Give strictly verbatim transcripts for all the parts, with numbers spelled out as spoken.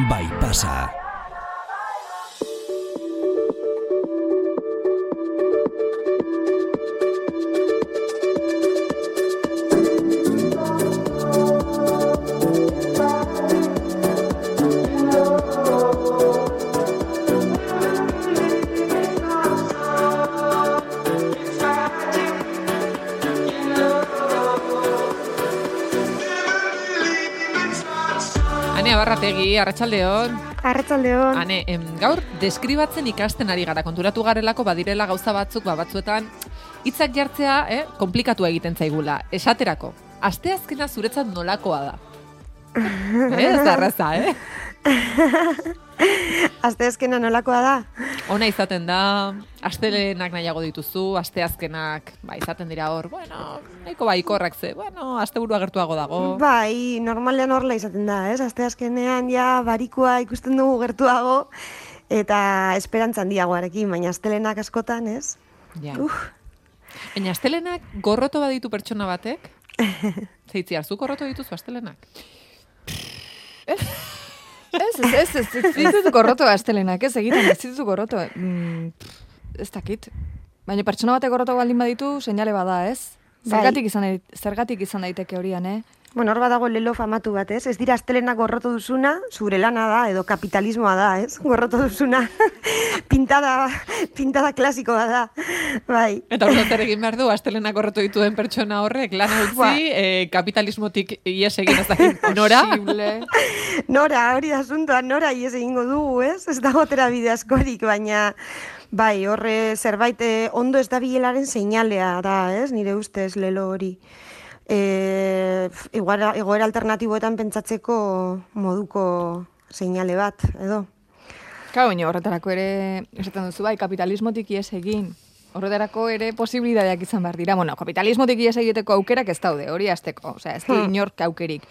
bai pasa. Barrategi, arratsaldeon. Arratsaldeon. Ane, em, gaur deskribatzen ikasten ari gara, konturatu garelako badirela gauza batzuk, ba batzuetan hitzak jartzea, eh, komplikatu egiten zaigula. Esaterako, asteazkena zuretzat nolakoa da? eh, ez da erraza, eh? Asteazkena nolakoa da? Ona izaten da, astelenak nahiago dituzu, asteazkenak, ba, izaten dira hor, bueno, nahiko baikorrak ze, bueno, asteburua gertuago dago. Bai, normalean horrela izaten da, ez? Asteazkenean ja barikua ikusten dugu gertuago, eta esperantza handiagoarekin, baina astelenak askotan, ez? Ja. Uf. Baina astelenak gorroto baditu pertsona batek? Zeitzi, harzu gorroto dituzu astelenak? Ez? Ez, ez, ez, ez, ez ditut gorroto astelenak, ez egiten, ez ditut gorroto. Mm, ez dakit. Baina pertsona batek gorroto baldin baditu, seinale bada, ez? Zergatik izan, zergatik izan daiteke horian, eh? Bueno, hor badago lelo famatu bat, ez? Ez dira astelenak gorroto duzuna, zure lana da, edo kapitalismoa da, ez? Gorroto duzuna, pintada, pintada klasikoa da, bai. Eta hor zer egin behar du, astelenak gorroto dituen pertsona horrek, lana utzi, eh, kapitalismotik ies egin ez dakit, nora? Nora, hori da asuntoa, nora ies egingo dugu, ez? Ez dago tera bide askorik, baina... Bai, horre zerbait ondo ez da bilelaren seinalea da, ez? Nire ustez lelo hori. E, egoera, egoera alternatiboetan pentsatzeko moduko seinale bat, edo? Kau, baina horretarako ere, esaten duzu, bai, kapitalismotik ies egin. Horretarako ere posibilidadeak izan behar dira. Bueno, kapitalismotik ies egiteko aukerak ez daude, hori azteko. Osea, ez du hmm. inork aukerik.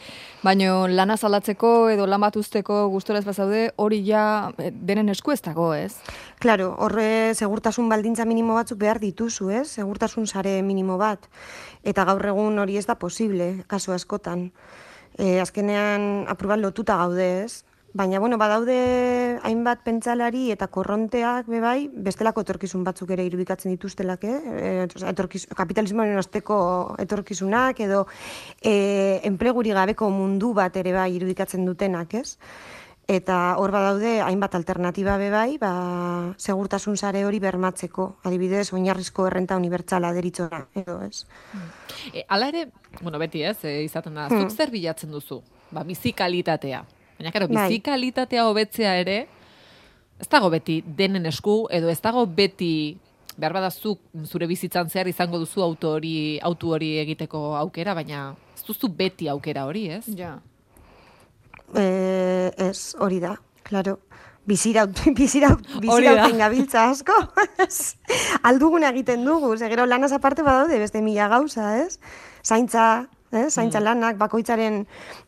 Baina lana zaldatzeko edo lan bat usteko gustora ez bazaude, hori ja denen esku ez dago, ez? Claro, horre segurtasun baldintza minimo batzuk behar dituzu, ez? Segurtasun sare minimo bat. Eta gaur egun hori ez da posible, kasu askotan. E, azkenean aprubat lotuta gaude, ez? Baina, bueno, badaude hainbat pentsalari eta korronteak bebai, bestelako etorkizun batzuk ere irudikatzen dituztelak, eh? Etorkiz, kapitalismoaren osteko etorkizunak edo e, enpleguri gabeko mundu bat ere bai irudikatzen dutenak, ez? Eta hor badaude hainbat alternatiba bebai, ba, segurtasun sare hori bermatzeko, adibidez, oinarrizko errenta unibertsala deritzona, edo, ez? E, ala ere, bueno, beti ez, e, izaten da, zuk zer bilatzen duzu? Ba, bizi kalitatea. Baina, karo, bizi kalitatea hobetzea ere, ez dago beti denen esku, edo ez dago beti, behar badazuk zure bizitzan zehar izango duzu auto hori, auto hori egiteko aukera, baina ez duzu beti aukera hori, ez? Ja. Eh, ez, hori da, klaro. Biziraut, biziraut, bizirauten gabiltza asko. Aldugun egiten dugu, zegero lanaz aparte badaude beste mila gauza, ez? Zaintza, eh? Zaintza lanak, bakoitzaren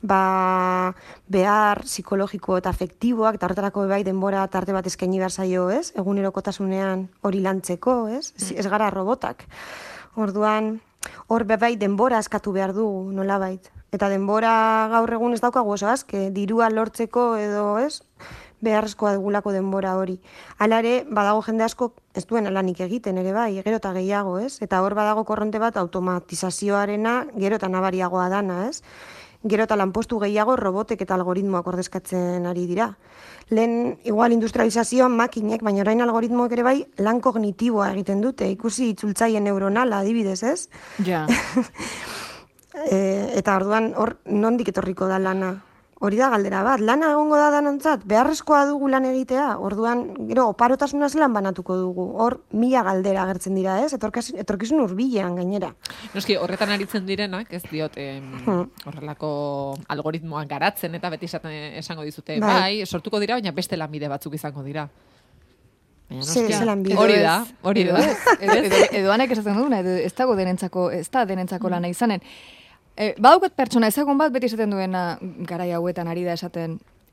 ba, behar psikologiko eta afektiboak, eta horretarako bai denbora tarte bat eskaini behar zaio, ez? Egunerokotasunean hori lantzeko, ez? Ez, ez gara robotak. Orduan, hor bai denbora eskatu behar dugu, nolabait. Eta denbora gaur egun ez daukagu oso azke, dirua lortzeko edo, ez? Beharrezkoa dugulako denbora hori. Hala ere, badago jende asko ez duen lanik egiten ere bai, gero eta gehiago, ez? Eta hor badago korronte bat automatizazioarena gero eta nabariagoa dana, ez? Gero eta lanpostu gehiago robotek eta algoritmoak ordezkatzen ari dira. Lehen, igual, industrializazioan makinek, baina orain algoritmoek ere bai lan kognitiboa egiten dute, ikusi itzultzaile neuronala adibidez, ez? Ja. e, eta orduan hor nondik etorriko da lana? Hori da galdera bat, lana egongo da danontzat, beharrezkoa dugu lan egitea, orduan, gero, oparotasunaz lan banatuko dugu, hor mila galdera agertzen dira, ez? Etorkizun hurbilean gainera. Noski, horretan aritzen direnak, ez diot, em, hmm. horrelako algoritmoak garatzen, eta beti esaten esango dizute, bai, bai sortuko dira, baina beste lanbide batzuk izango dira. Hori da, hori da. Edo anek esaten duguna, edo ez dago denentzako, ez da denentzako lana izanen. E, badaukat pertsona ezagun bat beti esaten duena garai hauetan ari da esaten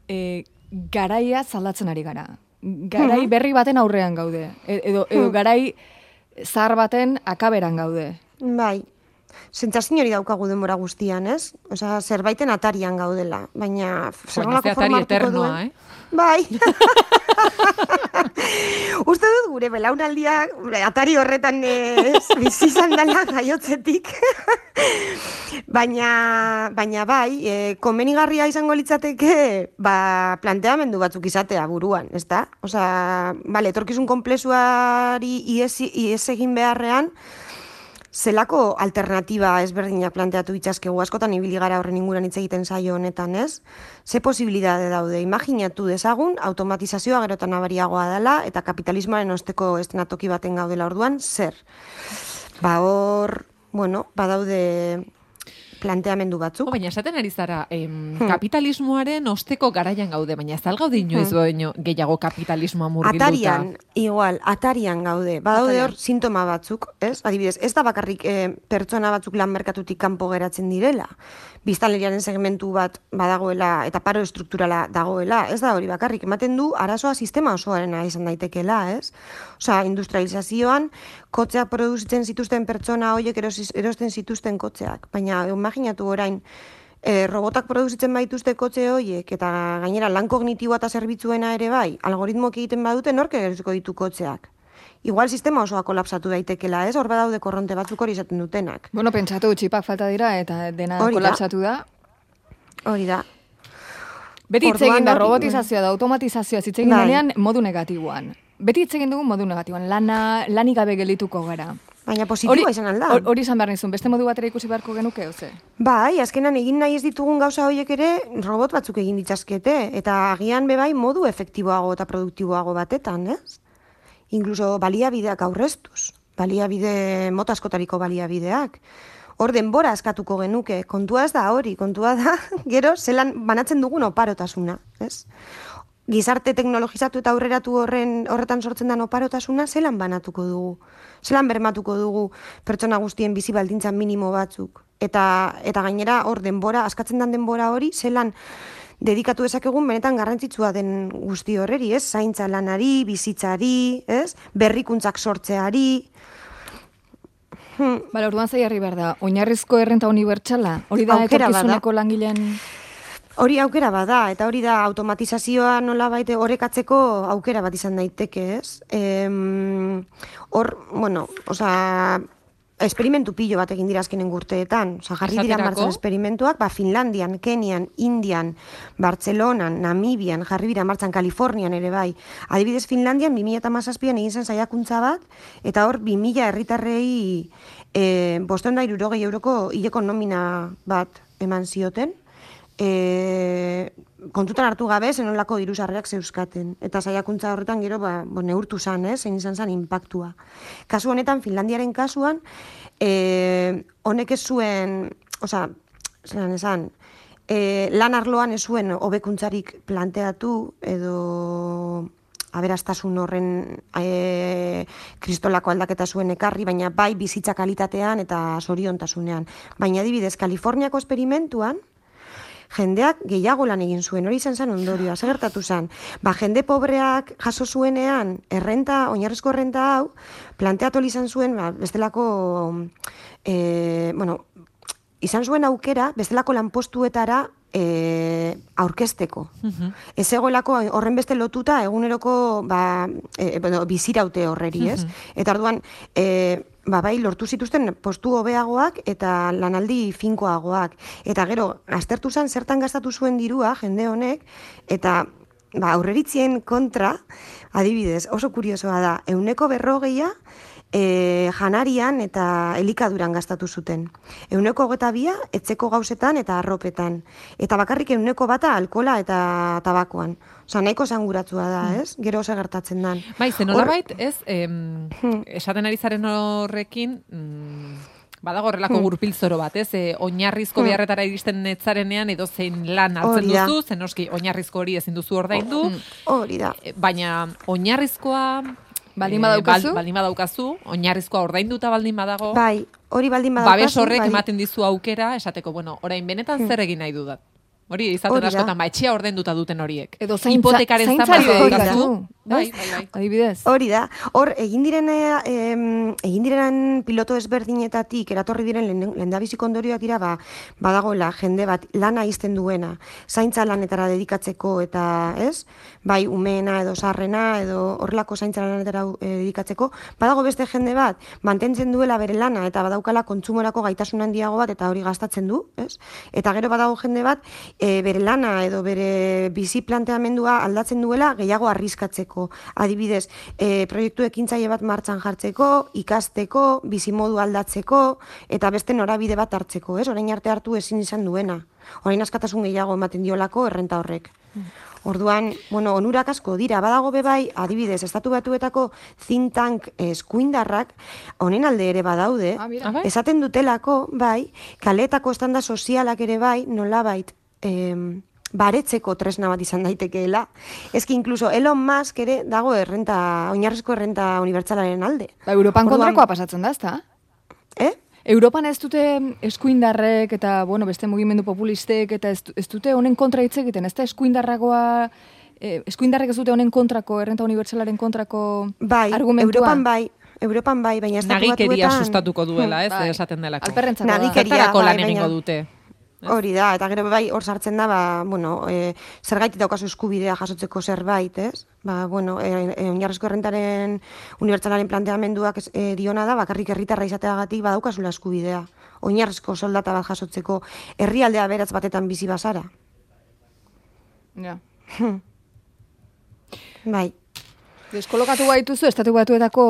e, garaia zaldatzen ari gara. Garai berri baten aurrean gaude. E, edo, edo garai zahar baten akaberan gaude. Bai. sentsazio hori daukagu denbora guztian, ez? Osea, zerbaiten atarian gaudela, baina zerrolako forma hartuko duen. Eh? Bai. Uste dut gure belaunaldia atari horretan ez, bizi izan dela jaiotzetik. baina, baina bai, e, komenigarria izango litzateke ba, planteamendu batzuk izatea buruan, ez da? Osea, bale, etorkizun konplexuari ies, ies egin beharrean, zelako alternatiba ezberdinak planteatu itxaskegu askotan ibili gara horren inguran hitz egiten saio honetan, ez? Ze posibilitate daude, imaginatu dezagun, automatizazioa gerotan nabariagoa dela eta kapitalismoaren osteko estenatoki baten gaudela orduan, zer? Ba hor, bueno, badaude planteamendu batzuk. O, baina esaten ari zara, em, hmm. kapitalismoaren osteko garaian gaude, baina ez algaude inoiz hmm. baino gehiago kapitalismoa murgilduta. Atarian, igual, atarian gaude. Badaude hor sintoma batzuk, ez? Adibidez, ez da bakarrik eh, pertsona batzuk lan merkatutik kanpo geratzen direla. Biztanleriaren segmentu bat badagoela eta paro estrukturala dagoela, ez da hori bakarrik. Ematen du, arazoa sistema osoarena izan daitekeela, ez? Osea, industrializazioan, kotxeak produzitzen zituzten pertsona horiek erosten zituzten kotxeak. Baina, imaginatu orain, e, robotak produzitzen baituzte kotxe horiek, eta gainera lan kognitiboa eta zerbitzuena ere bai, algoritmoak egiten badute nork erosiko ditu kotxeak. Igual sistema osoa kolapsatu daitekela, ez? Hor badaude korronte batzuk hori izaten dutenak. Bueno, pentsatu txipak falta dira eta dena hori kolapsatu da. Hori da. Beti hitz egin da robotizazioa da automatizazioa hitz egin denean modu negatiboan. Beti hitz egin dugu modu negatiboan. Lana lanik gabe geldituko gara. Baina positiboa izan alda. Hori izan behar nizun, beste modu batera ikusi beharko genuke, oze? Bai, azkenan egin nahi ez ditugun gauza horiek ere robot batzuk egin ditzazkete. Eta agian bebai modu efektiboago eta produktiboago batetan, ez? Inkluso baliabideak aurreztuz, baliabide mota askotariko baliabideak. Hor denbora askatuko genuke, kontua ez da hori, kontua da, gero zelan banatzen dugun oparotasuna, ez? Gizarte teknologizatu eta aurreratu horren horretan sortzen den oparotasuna zelan banatuko dugu, zelan bermatuko dugu pertsona guztien bizi baldintza minimo batzuk. Eta, eta gainera hor denbora, askatzen den denbora hori, zelan dedikatu dezakegun benetan garrantzitsua den guzti horreri, ez? Zaintza lanari, bizitzari, ez? Berrikuntzak sortzeari. Hmm. Bala, orduan zaiarri behar da, oinarrizko errenta unibertsala? Hori da etorkizuneko langileen... Hori aukera bada, eta hori da automatizazioa nola baite orekatzeko aukera bat izan daiteke, ez? Hor, bueno, oza... Esperimentu pilo bat egin dira azkenen urteetan. Osa, jarri dira martzan esperimentuak, ba, Finlandian, Kenian, Indian, Bartzelonan, Namibian, jarri dira martzan Kalifornian ere bai. Adibidez, Finlandian, bi mila hamazazpian egin zen saiakuntza bat, eta hor, bi mila herritarrei e, bostehun eta hirurogei euroko hileko nomina bat eman zioten, e, kontutan hartu gabe zenolako diru sarrerak zeuzkaten. Eta saiakuntza horretan gero ba, bo, neurtu zan, eh, zein izan zan inpaktua. Kasu honetan, Finlandiaren kasuan, e, honek ez zuen, oza, zelan esan, e, lan arloan ez zuen hobekuntzarik planteatu edo aberastasun horren e, kristolako aldaketa zuen ekarri, baina bai bizitza kalitatean eta zoriontasunean. Baina adibidez, Kaliforniako esperimentuan, jendeak gehiago lan egin zuen, hori izan zen ondorioa, segertatu zen. Ba, jende pobreak jaso zuenean, errenta, oinarrizko errenta hau, planteatu izan zuen, ba, bestelako, e, bueno, izan zuen aukera, bestelako lanpostuetara e, aurkezteko. Uh-huh. Ez egoelako horren beste lotuta eguneroko ba, e, bueno, biziraute horreri, ez? Uh-huh. Eta orduan, e, ba, bai, lortu zituzten postu hobeagoak eta lanaldi finkoagoak. Eta gero, aztertu zen zertan gastatu zuen dirua, jende honek, eta ba, aurreritzien kontra, adibidez, oso kuriosoa da, euneko berrogeia e, janarian eta elikaduran gastatu zuten. Euneko hogeta bia, etzeko gauzetan eta arropetan. Eta bakarrik euneko bata alkola eta tabakoan. Osa, nahiko zanguratzua da, ez? Gero oso gertatzen dan. Bai, zenolabait, ez, em, esaten ari zaren horrekin, mm, badago horrelako gurpil zoro bat, ez? E, oinarrizko beharretara iristen netzarenean edo zein lan hartzen duzu, zen oski oinarrizko hori ezin duzu ordaindu. Hori da. Baina oinarrizkoa baldin badaukazu, baldin badaukazu, oinarrizkoa ordainduta baldin badago. Bai, hori baldin badaukazu. Babes horrek ematen dizu aukera, esateko, bueno, orain benetan zer egin nahi dudat. Hori izaten askotan, ba, etxea ordenduta duten horiek. Edo zaintza, hipotekaren zaintzari daukazu. Bai, bai, bai. Adibidez. Hori da. Hor, egin diren, eh, egin diren piloto ezberdinetatik eratorri diren lehendabiziko ondorioak dira, ba, badagoela jende bat lana izten duena, zaintza lanetara dedikatzeko eta, ez? Bai, umeena edo sarrena edo horrelako zaintza lanetara eh, dedikatzeko, badago beste jende bat mantentzen duela bere lana eta badaukala kontsumorako gaitasun handiago bat eta hori gastatzen du, ez? Eta gero badago jende bat e, bere lana edo bere bizi planteamendua aldatzen duela gehiago arriskatzeko. Adibidez, e, proiektu ekintzaile bat martxan jartzeko, ikasteko, bizimodu aldatzeko, eta beste norabide bat hartzeko, ez? Orain arte hartu ezin izan duena. Orain askatasun gehiago ematen diolako errenta horrek. Orduan, bueno, onurak asko dira, badago bebai, adibidez, Estatu Batuetako think tank eskuindarrak, honen alde ere badaude, Ah, mira. esaten dutelako, bai, kaleetako estanda sozialak ere bai, nolabait, em, baretzeko tresna bat izan daitekeela. Ezki inkluso Elon Musk ere dago errenta, oinarrizko errenta unibertsalaren alde. Ba, Europan Orduan- kontrakoa pasatzen da, ezta? Eh? Europan ez dute eskuindarrek eta, bueno, beste mugimendu populistek eta ez, ez dute honen kontra hitz egiten, ez da eskuindarragoa, eh, eskuindarrek ez dute honen kontrako, errenta unibertsalaren kontrako Bai, argumentua? Europan bai, Europan bai, baina Estatu Nagikeria Batuetan... sustatuko duela, ez, Bai. esaten delako. Alperrentzako da. Nagikeria, Zertarako lan bai, egingo baina- dute. Hori da, eta gero bai hor sartzen da, ba, bueno, e, zergaitik daukazu eskubidea jasotzeko zerbait, ez? Ba, bueno, e, e, oinarrizko errentaren unibertsalaren planteamenduak ez, e, diona da, bakarrik herritarra izateagatik badaukazula eskubidea. Oinarrizko soldata bat jasotzeko herrialdea beratz batetan bizi bazara. Ja. Bai. Deskolokatu baituzu Estatu Batuetako...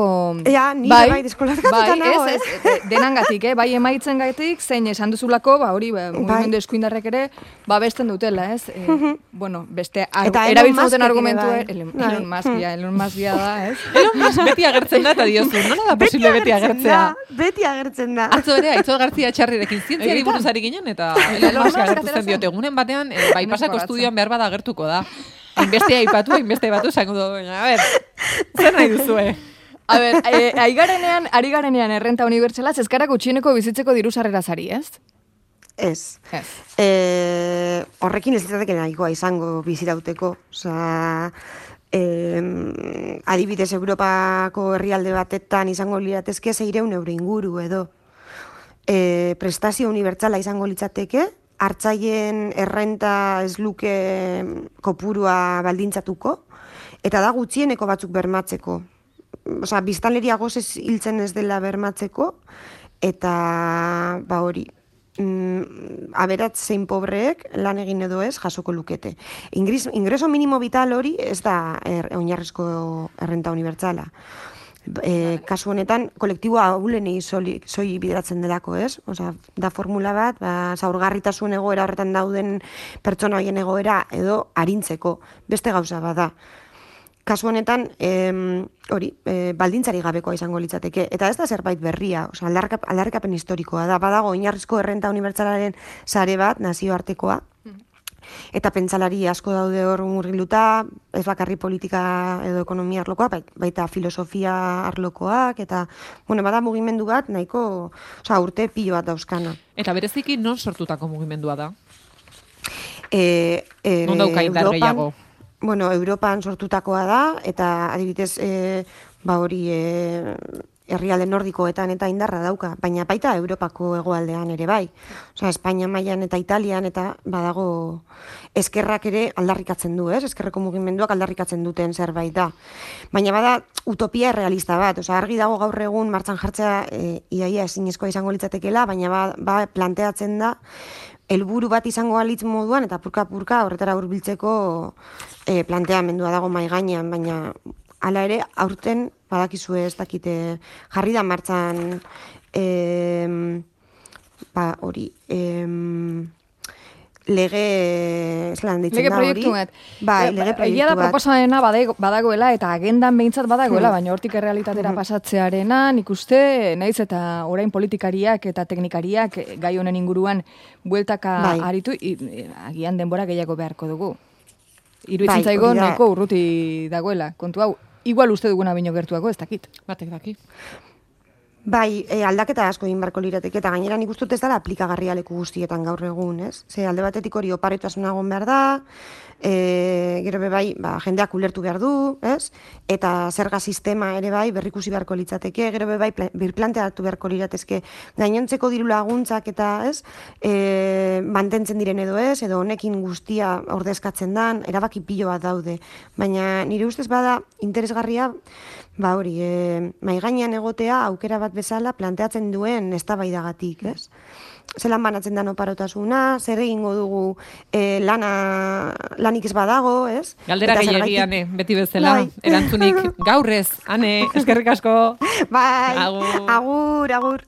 Ja, nire bai, deskolokatuta bai, nago, ez, ez, ez, denangatik, eh? Bai emaitzen gaitik, zein esan duzulako, ba, hori, ba, mugimendu eskuindarrek ere, ba, besten dutela, ez? E, bueno, beste, ar, Eta Elon erabiltzen Muskek duten ere argumentu, bai. Elon, Bai. Elon Musk, ja, Elon Musk ja da, ez? Elon Musk beti agertzen da, eta diozu, nola da posible beti agertzea? Da, beti agertzen da. Atzo ere, Aitzol Gartzia Txarrirekin zientziari Egitan. buruz ari ginen, eta Elon Elon Musk Musk agertu atera zen diote, egunen batean, eh, bai pasako Nesko estudioan behar bada agertuko da. Hainbeste aipatu, hainbeste aipatu, zango du, baina, a ber, zer nahi duzue? A ber, e, aigarenean, ari garenean errenta unibertsalaz, ez gara gutxieneko bizitzeko diru sarreraz ari, ez? Ez. Ez. E, horrekin ez litzateke nahikoa izango bizirauteko. Osea, eh, adibidez Europako herrialde batetan izango liratezke seiehun euro inguru edo. E, prestazio unibertsala izango litzateke, hartzaien errenta ez luke kopurua baldintzatuko, eta da gutxieneko batzuk bermatzeko. Osea, biztanleria gozez hiltzen ez dela bermatzeko, eta ba hori, mm, aberatz zein pobreek lan egin edo ez jasoko lukete. Ingres, ingreso minimo vital hori ez da er, oinarrizko errenta unibertsala. E, kasu honetan, kolektiboa ahulenei soi bideratzen delako, ez? Osea, da formula bat, ba, zaurgarritasun egoera horretan dauden pertsona hoien egoera edo arintzeko beste gauza bada. Kasu honetan, em, hori, e, baldintzari gabekoa izango litzateke. Eta ez da zerbait berria, osea, aldarrikap, aldarrikapen historikoa da. Badago oinarrizko errenta unibertsalaren sare bat, nazioartekoa, eta pentsalari asko daude hor murgilduta, ez bakarri politika edo ekonomia arlokoa, baita filosofia arlokoak, eta, bueno, bada mugimendu bat, nahiko, osea, urte pilo bat dauzkana. Eta bereziki non sortutako mugimendua da? E, e, Non dauka indar Europan- gehiago? Bueno, Europan sortutakoa da, eta adibidez, e, ba hori, e, herrialde nordikoetan eta indarra dauka, baina baita Europako hegoaldean ere bai. Osea, Espainia mailan eta Italian eta badago eskerrak ere aldarrikatzen du, ez? Eskerreko mugimenduak aldarrikatzen duten zerbait da. Baina bada utopia realista bat, osea, argi dago gaur egun martxan jartzea e, iaia ezinezkoa izango litzatekeela, baina ba, ba planteatzen da helburu bat izango alitz moduan eta purka-purka horretara hurbiltzeko e, planteamendua dago mai gainean, baina hala ere, aurten, badakizue ez dakite, jarri da martxan, em, ba, hori, em, lege, zelan ditzen Lege da hori? proiektu bat. Bai, Eh, lege Egia proiektu da bat. proposamena badago- badagoela eta agendan behintzat badagoela, baina hortik errealitatera pasatzearena, nik uste, naiz eta orain politikariak eta teknikariak eh, gai honen inguruan bueltaka Bai. aritu, i- i- agian denbora gehiago beharko dugu. Iruditzen Bai, zaigo hori da. nahiko urruti dagoela. Kontu hau, igual uste duguna bino gertuago, ez dakit. Batek daki. Bai, e, aldaketa asko egin barko lirateke, eta gainera nik uste dut ez dela aplikagarria leku guztietan gaur egun, ez? Ze alde batetik hori oparotasuna egon behar da, e, gero be bai, ba, jendeak ulertu behar du, ez? Eta zerga sistema ere bai berrikusi beharko litzateke, gero be bai birplanteatu beharko liratezke gainontzeko diru laguntzak eta, ez? E, mantentzen diren edo ez, edo honekin guztia ordezkatzen dan, erabaki pilo bat daude. Baina nire ustez bada interesgarria, ba hori, e, mai gainean egotea aukera bat bezala planteatzen duen eztabaidagatik, ez? Zelan banatzen dan oparotasuna, zer egingo dugu e, lana, lanik ez badago, ez? Galdera gehiagi, ane, beti bezala, bai. Erantzunik gaurrez, ane, eskerrik asko. Bai, agur, agur. agur.